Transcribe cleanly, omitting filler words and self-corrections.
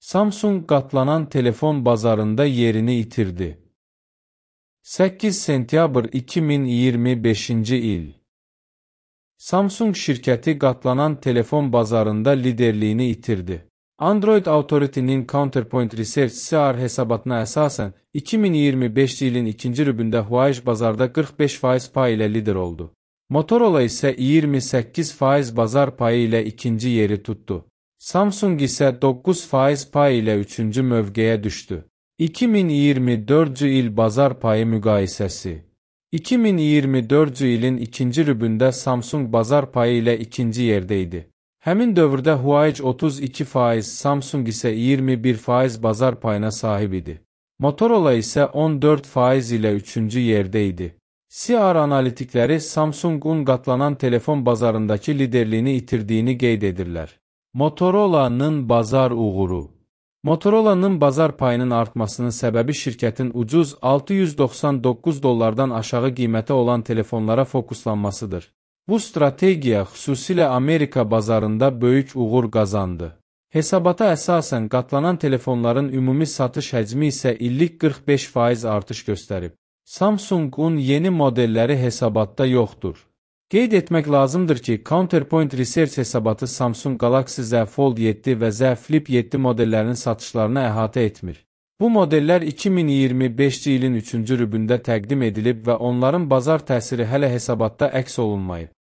Samsung qatlanan telefon bazarında yerini itirdi. 8 sentyabr 2025-ci il. Samsung şirkəti qatlanan telefon bazarında liderliyini itirdi. Android Authority-nin Counterpoint Research CR hesabatına əsasən, 2025 ilin ikinci rübündə Huawei bazarda 45% pay ilə lider oldu. Motorola isə 28% bazar payı ilə ikinci yeri tutdu. Samsung isə 9% pay ilə üçüncü mövqeyə düşdü. 2024-cü il bazar payı müqayisəsi. 2024-cü ilin ikinci rübündə Samsung bazar payı ilə ikinci yerdə idi. Həmin dövrdə Huawei 32%, Samsung isə 21% bazar payına sahib idi. Motorola isə 14% ilə üçüncü yerdə idi. CR analitikləri Samsung-un qatlanan telefon bazarındakı liderliyini itirdiyini qeyd edirlər. Motorola'nın bazar uğuru. Motorola'nın bazar payının artmasının səbəbi şirkətin ucuz $699 aşağı qiymətə olan telefonlara fokuslanmasıdır. Bu strategiya xüsusilə Amerika bazarında böyük uğur qazandı. Hesabata əsasən qatlanan telefonların ümumi satış həcmi isə illik 45% artış göstərib. Samsung-un yeni modelləri hesabatda yoxdur. Qeyd etmək lazımdır ki, Counterpoint Research hesabatı Samsung Galaxy Z Fold 7 və Z Flip 7 modellərinin satışlarını əhatə etmir. Bu modellər 2025-ci ilin 3-cü rübündə təqdim edilib və onların bazar təsiri hələ hesabatda əks olunmayıb.